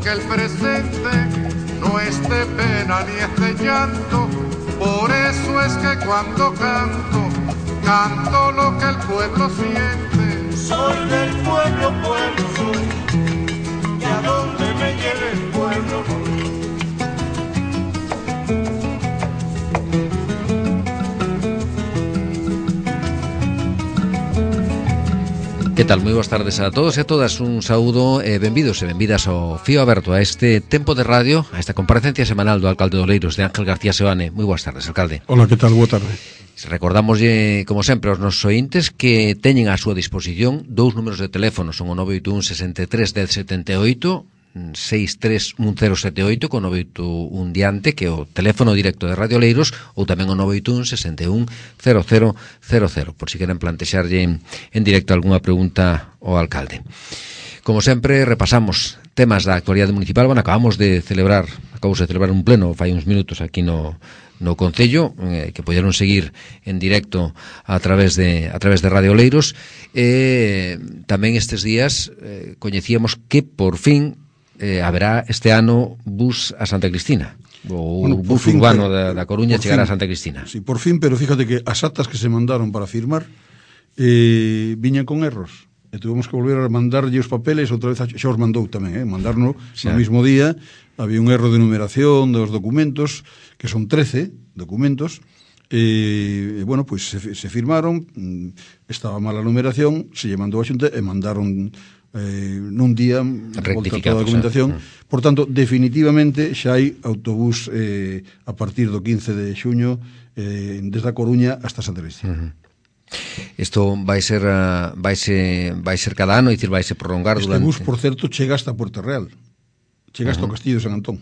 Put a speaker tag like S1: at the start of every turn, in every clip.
S1: que el presente no es de pena ni es de llanto. Por eso es que cuando canto, canto lo que el pueblo siente.
S2: Soy del pueblo, pueblo soy, y a donde me lleve el pueblo voy.
S3: Que tal? Moi boas tardes a todos e a todas. Un saúdo e benvidos e benvidas ao Fío Aberto, a este tempo de radio, a esta comparecencia semanal do alcalde de Oleiros, de Ángel García Seoane. Moi boas tardes, alcalde.
S4: Hola, que tal? Boa tarde.
S3: Recordamoslle, como sempre, aos nosos ointes que teñen á súa disposición dous números de teléfono, son o 981 63 10 78, 63178 con 981 diante, que é o teléfono directo de Radio Oleiros, ou tamén o 981 61 0000, por si queren plantexarlle en directo algunha pregunta ao alcalde. Como sempre, repasamos temas da actualidade municipal. Bueno, acabamos de celebrar un pleno fai uns minutos aquí no Concello, que poderon seguir en directo a través de Radio Oleiros. Tamén estes días coñecíamos que por fin haberá este ano bus a Santa Cristina, o bus urbano da Coruña chegará a Santa Cristina.
S4: Sí, por fin, pero fíjate que as actas que se mandaron para firmar viñan con erros. E tuvemos que volver a mandarlle os papeles outra vez, xa os mandou tamén, mandarnos no mismo día. Había un erro de numeración dos documentos, que son 13 documentos, e bueno, pois se firmaron, estaba mala numeración, se lle mandou a Xunta e mandaron nun día volta toda a documentación. Por tanto, definitivamente xa hai autobús a partir do 15 de xuño desde a Coruña hasta Santa Cristina.
S3: Isto vai ser cada ano, vai se prolongar
S4: este
S3: durante...
S4: bus, por certo, chega hasta Puerto Real, chega hasta o Castillo de San Antón.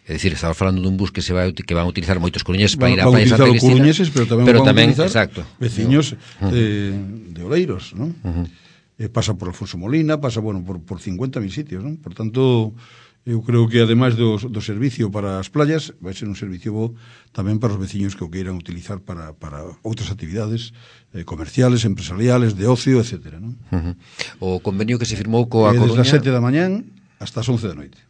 S3: É dicir, estaba falando dun bus que van a utilizar moitos coruñeses para ir a
S4: Playa
S3: Santa Cristina,
S4: coruñeses, pero tamén van a utilizar
S3: exacto,
S4: veciños de Oleiros, ¿no? Pasa por Alfonso Molina, pasa, bueno, por 50.000 sitios, ¿no? Por tanto, eu creo que ademais do servicio para as playas, vai ser un servicio bo tamén para os veciños que o queiran utilizar para outras actividades comerciales, empresariales, de ocio, etcétera, ¿no?
S3: O convenio que se firmou coa Coruña
S4: desde as 7 da mañán hasta as 11 da noite.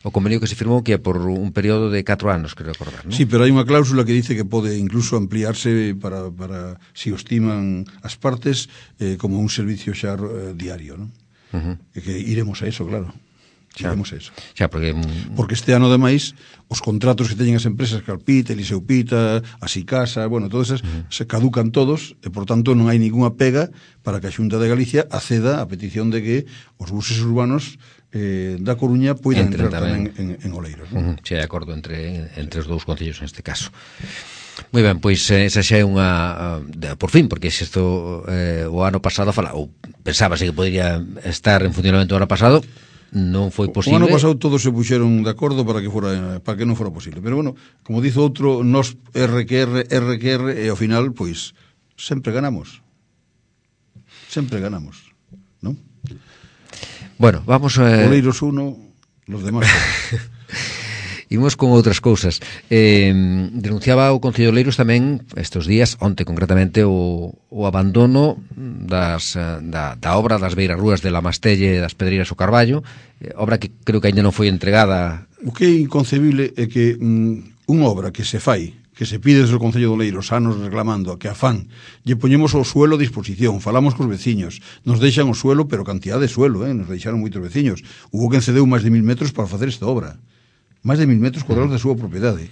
S3: O convenio que se firmou que é por un período de 4 anos, creo recordar, ¿no?
S4: Sí, pero hai unha cláusula que dice que pode incluso ampliarse para si o estiman as partes como un servicio xa diario, ¿no? E que iremos a eso, claro. Iremos a eso.
S3: Xa, porque
S4: este ano, ademais, os contratos que teñen as empresas Calpita, Eliseu Pita, Asicasa, bueno, todas esas se caducan todos e, por tanto, non hai ninguna pega para que a Xunta de Galicia acceda a petición de que os buses urbanos da Coruña poidan entrar tamén en Oleiros, ¿no?
S3: Sí, de acordo entre os dous concellos neste caso. Moi ben, pois esa xa é unha por fin, porque se isto o ano pasado ou pensábase que podría estar en funcionamento o ano pasado, non foi posible.
S4: O ano pasado todos se puxeron de acordo para que non fora posible, pero bueno, como dice outro, nos RQR e ao final, pois sempre ganamos, ¿non?
S3: Bueno, vamos
S4: Oleiros 1, los demás.
S3: Imos con outras cousas. Denunciaba o Concello de Oleiros tamén estes días, onte concretamente, o abandono da obra das beirarrúas de La Mastelle e das Pedreiras o Carballo, obra que creo que ainda non foi entregada.
S4: O que é inconcebible é que unha obra que se fai, que se pide desde o Concello de Oleiros anos reclamando a que a fan lle poñemos o suelo a disposición, falamos cos veciños, nos deixan o suelo, pero cantidad de suelo, nos deixaron moitos veciños. Hubo que encedeu máis de 1000 metros para facer esta obra, máis de 1000 metros cuadrados da súa propiedade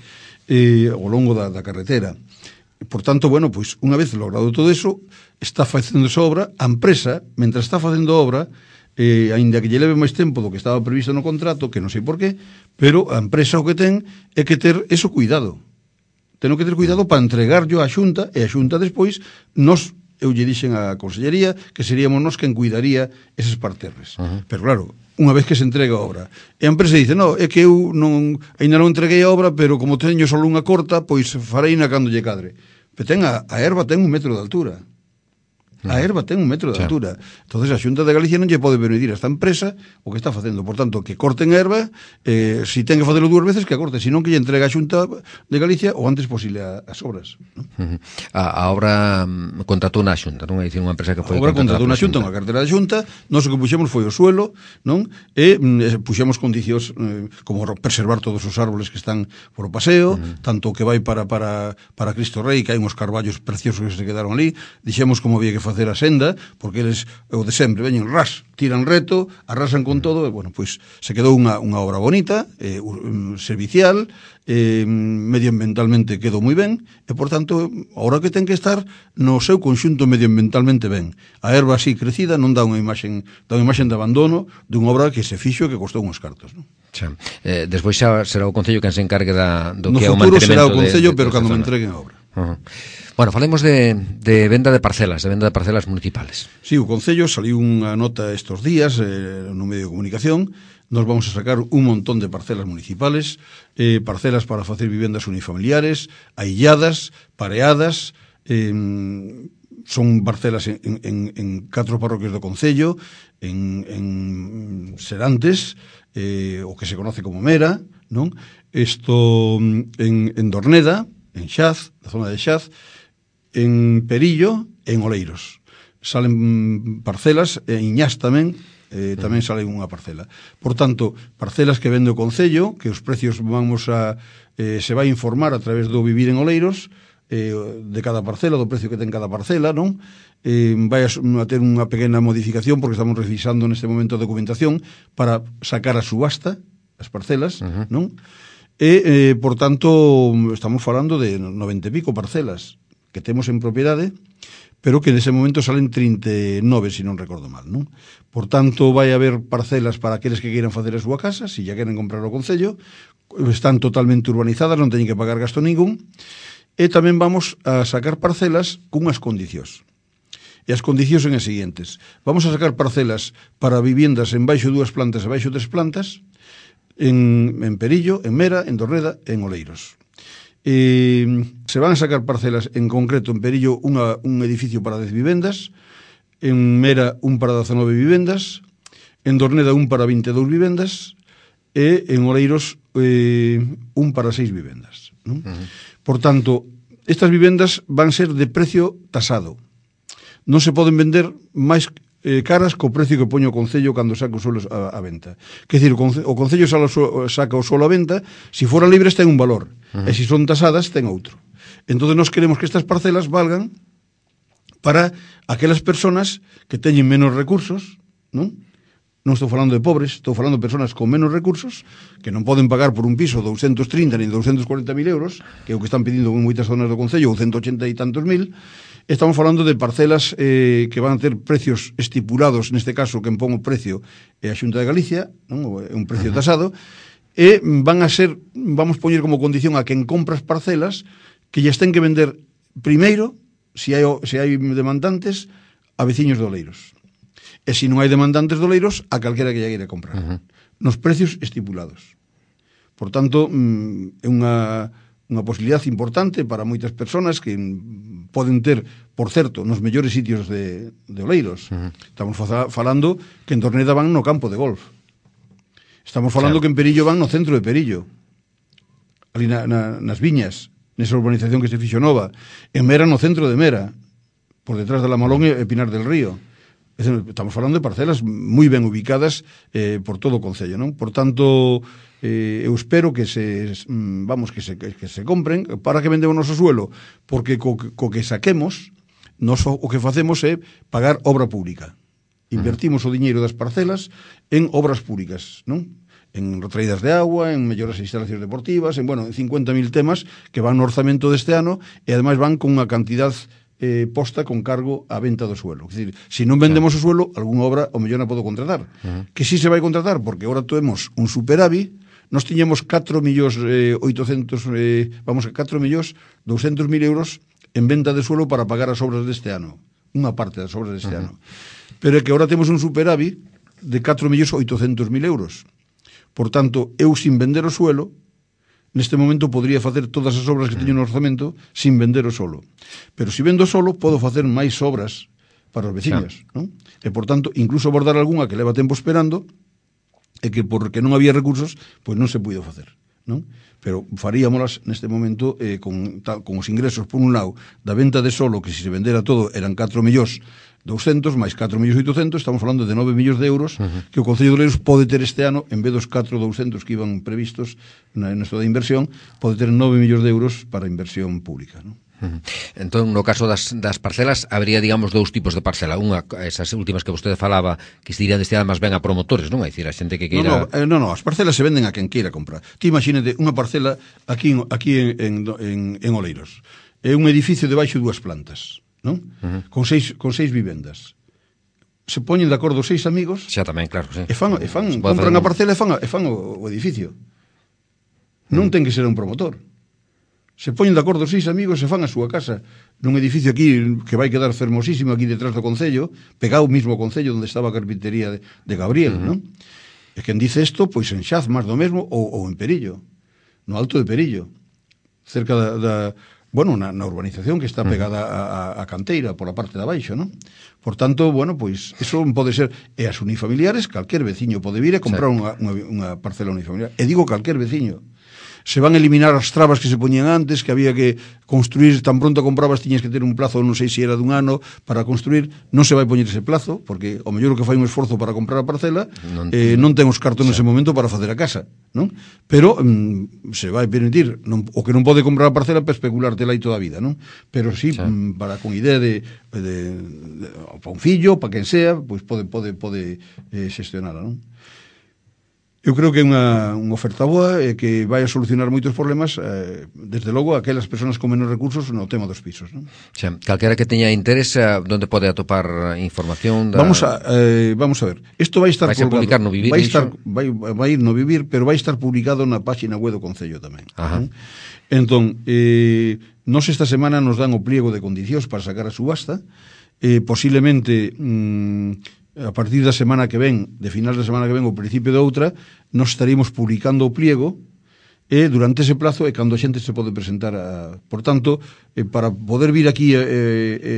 S4: ao longo da carretera. Por tanto, bueno, pois unha vez logrado todo eso, está facendo esa obra, a empresa, mentre está facendo a obra, aínda que lle leve máis tempo do que estaba previsto no contrato, que non sei por qué, pero a empresa o que ten é que ter eso cuidado. Tenho que ter cuidado para entregarlo á Xunta, e a Xunta despois eu lle dixen á Consellería que seríamos nós quen cuidaría eses parterres. Pero claro, unha vez que se entrega a obra, e a empresa dice, no, é que eu ainda non entreguei a obra, pero como teño só unha corta, pois farei na cando lle cadre. Pero a erva ten 1 metro de altura. A erva ten 1 metro de altura. Entonces a Xunta de Galicia non lle pode permitir a esta empresa o que está facendo. Por tanto, que corten a erva, si ten que facelo 2 veces, que a corte, senón que lle entrega a Xunta de Galicia o antes posible as obras.
S3: A obra contratou na Xunta, non? É dicir, unha empresa que foi
S4: a obra contratou na Xunta, unha cartera da Xunta, nós o que puxemos foi o suelo, non? E puxemos condicións como preservar todos os árboles que están por o paseo, tanto que vai para Cristo Rei, que hai uns carballos preciosos que se quedaron ali, dixemos como había que facer a senda, porque eles, o de sempre, veñen tiran reto, arrasan con todo, e, bueno, pois se quedou unha obra bonita, servicial, medioambientalmente quedou moi ben, e, por tanto, ahora que ten que estar no seu conxunto medioambientalmente ben. A erva así crecida non dá unha imaxe de abandono dunha obra que se fixo e que costou uns cartos, non?
S3: Despois xa será o Concello quen se encargue do
S4: que é o mantenimento. No futuro será o Concello, pero cando me entreguen a obra.
S3: Bueno, falemos de venda de parcelas municipales.
S4: Sí, o Concello saliu unha nota estes días no medio de comunicación. Nos vamos a sacar un montón de parcelas municipales, parcelas para facer vivendas unifamiliares, ailladas, pareadas, son parcelas en 4 parroquias do Concello, en Serantes, o que se conoce como Mera, non? Isto en Dorneda, en Xaz, na zona de Xaz, en Perillo e en Oleiros. Salen parcelas, en Iñás tamén sale unha parcela. Por tanto, parcelas que vende o Concello, que os precios se vai informar a través do Vivir en Oleiros, de cada parcela, do precio que ten cada parcela, non? Vai a ter unha pequena modificación, porque estamos revisando neste momento a documentación para sacar a subasta as parcelas, non? E, por tanto, estamos falando de 90 e pico parcelas que temos en propiedade, pero que nese momento salen 39, se non recordo mal, non? Por tanto, vai haber parcelas para aqueles que queiran facer a súa casa, se ya queren comprar o Concello, están totalmente urbanizadas, non teñen que pagar gasto ningún, e tamén vamos a sacar parcelas cunhas condicións. E as condicións son as seguintes. Vamos a sacar parcelas para viviendas en baixo 2 plantas e baixo 3 plantas, en Perillo, en Mera, en Dorneda e en Oleiros. Se van a sacar parcelas, en concreto en Perillo un edificio para 10 vivendas, en Mera un para 19 vivendas, en Dorneda un para 22 vivendas e en Oleiros un para 6 vivendas, non? Por tanto, estas vivendas van ser de precio tasado. Non se poden vender máis caras co precio que poño o Concello cando saca o suelo a venta. Quer dizer, o Concello saca o suelo a venta, se fora libres ten un valor, e se son tasadas ten outro. Entón, nós queremos que estas parcelas valgan para aquelas persoas que teñen menos recursos, non? Non estou falando de pobres, estou falando de persoas con menos recursos que non poden pagar por un piso 230 ni 240.000 euros, que é o que están pedindo en moitas zonas do Concello, ou 180 e tantos mil. Estamos falando de parcelas que van a ter precios estipulados, neste caso, quen pon o precio é a Xunta de Galicia, non? É un precio tasado, e vamos poñer como condición a quen compra as parcelas que lles ten que vender primeiro, se hai demandantes, a veciños de Oleiros. E se non hai demandantes de Oleiros, a calquera que lle queira comprar. Nos precios estipulados. Por tanto, é unha posibilidade importante para moitas persoas que poden ter, por certo, nos mellores sitios de Oleiros. Estamos falando que en Dorneda van no campo de golf. Estamos falando que en Perillo van no centro de Perillo. Ali nas viñas, nesa urbanización que se fixo nova. En Mera no centro de Mera, por detrás de La Malón e Pinar del Río. Estamos falando de parcelas moi ben ubicadas por todo o Concello, non? Por tanto, eu espero que se compren para que vendemos o noso suelo, porque co que saquemos, nos o que facemos é pagar obra pública. Invertimos o diñeiro das parcelas en obras públicas, non? En retraídas de agua, en melloras de instalacións deportivas, en 50.000 temas que van no orzamento deste ano e ademais van con unha cantidad posta con cargo á venta do suelo. É dicir, se non vendemos o suelo, algunha obra o mellor non podo contratar. Que si se vai contratar, porque agora temos un superávit, nós tiñemos 4.200.000 euros en venta de suelo para pagar as obras deste ano. Unha parte das obras deste ano. Pero é que agora temos un superávit de 4.800.000 euros. Por tanto, eu sin vender o suelo, neste momento podría facer todas as obras que teño no orzamento sin vender o solo. Pero se vendo solo, podo facer máis obras para os veciños, non? E, por tanto, incluso abordar algunha que leva tempo esperando e que porque non había recursos, pois non se puido facer, non? Pero faríamolas neste momento con os ingresos, por un lado, da venta de solo, que se vendera todo eran 4.200.000 máis 4.800.000, estamos falando de 9 millóns de euros que o Concello de Oleiros pode ter este ano, en vez dos 4.200 que iban previstos na esto da inversión, pode ter 9 millóns de euros para inversión pública, non?
S3: Entón, no caso das parcelas, habría, digamos, dous tipos de parcela. Unha, esas últimas que vostede falaba, que se irían destinadas máis ben a promotores, non? É dicir, a xente que queira...
S4: No, as parcelas se venden a quen queira comprar. Ti imagínate unha parcela aquí en Oleiros. É un edificio de baixo 2 plantas, non? Con seis vivendas. Se poñen de acordo 6 amigos...
S3: Xa tamén, claro, sí.
S4: E compran a parcela e fan o edificio. Non ten que ser un promotor. Se poñen de acordo 6 amigos e fan a súa casa nun edificio aquí que vai quedar fermosísimo aquí detrás do Concello, pegado mismo ao Concello onde estaba a carpintería de Gabriel, non? E quen dice isto, pois en Xaz, máis do mesmo, ou en Perillo, no Alto de Perillo, cerca na urbanización que está pegada a canteira pola parte de abaixo, non? Por tanto, pois eso pode ser, e as unifamiliares, calquer veciño pode vir e comprar unha parcela unifamiliar, e digo calquer veciño. Se van a eliminar as trabas que se poñían antes, que había que construir, tan pronto comprabas tiñas que ter un plazo, non sei se era dun ano para construir, non se vai poñer ese plazo, porque o mellor que fai un esforzo para comprar a parcela non ten os cartos nese momento para facer a casa, non? Pero se vai permitir, o que non pode comprar a parcela para especulártela aí toda a vida, non? Pero sí, para con idea de para un fillo, para quen sea, pois pode xestionala, non? Eu creo que é unha oferta boa e que vai a solucionar moitos problemas, desde logo, aquelas persoas con menos recursos no tema dos pisos, non?
S3: Xa, calquera que teña interés, onde pode atopar información?
S4: Vamos a ver. Isto vai estar
S3: publicar no Vivir?
S4: Vai ir no Vivir, pero vai estar publicado na página web do Concello tamén. Entón, nos esta semana nos dan o pliego de condicións para sacar a subasta, posiblemente... a partir da semana que ven, de finais da semana que ven, ou principio de outra, nos estaríamos publicando o pliego e durante ese plazo é cando a xente se pode presentar por tanto, para poder vir aquí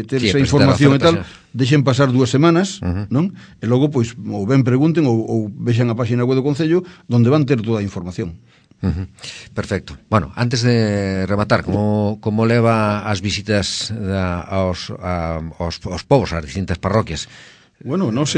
S4: ter esa información e tal, deixen pasar 2 semanas, non? E logo, pois, ou ben pregunten ou vexan a página web do Concello onde van ter toda a información.
S3: Perfecto. Bueno, antes de rematar, como leva as visitas aos povos, ás distintas parroquias?
S4: Bueno, nós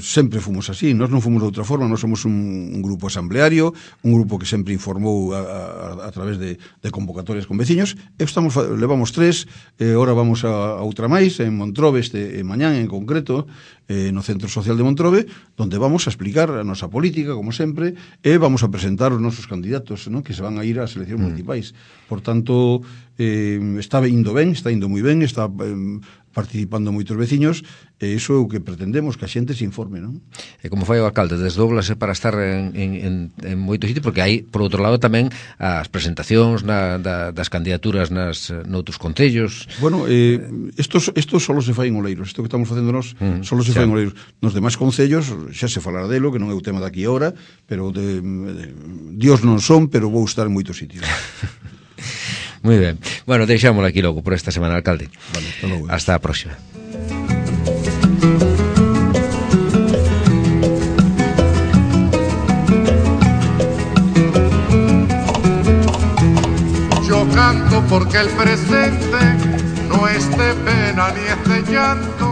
S4: sempre fomos así, nós non fomos de outra forma, nós somos un grupo asambleario, un grupo que sempre informou a través de convocatorias con veciños, levamos 3, ahora vamos a outra máis, en Montrobe, mañán en concreto, no Centro Social de Montrobe, donde vamos a explicar a nosa política, como sempre, e vamos a presentar os nosos candidatos, ¿no?, que se van a ir ás eleccións municipais. Por tanto, está indo moi ben, está participando moitos veciños, e iso é o que pretendemos, que a xente se informe, non?
S3: E como fai o alcalde, desdóblase para estar en moitos sitios, porque hai, por outro lado, tamén as presentacións das candidaturas noutros concellos.
S4: Bueno, isto só se fai en Oleiros, isto que estamos facendo nós só se fai en Oleiros. Nos demais concellos xa se falará delo, que non é o tema daqui ahora, pero Dios non son, pero vou estar en moitos sitios.
S3: Moi ben. Bueno, deixámoslo aquí logo por esta semana, alcalde.
S4: Vale, hasta logo.
S3: Hasta a próxima.
S1: Yo canto porque el presente no es de pena ni es de llanto,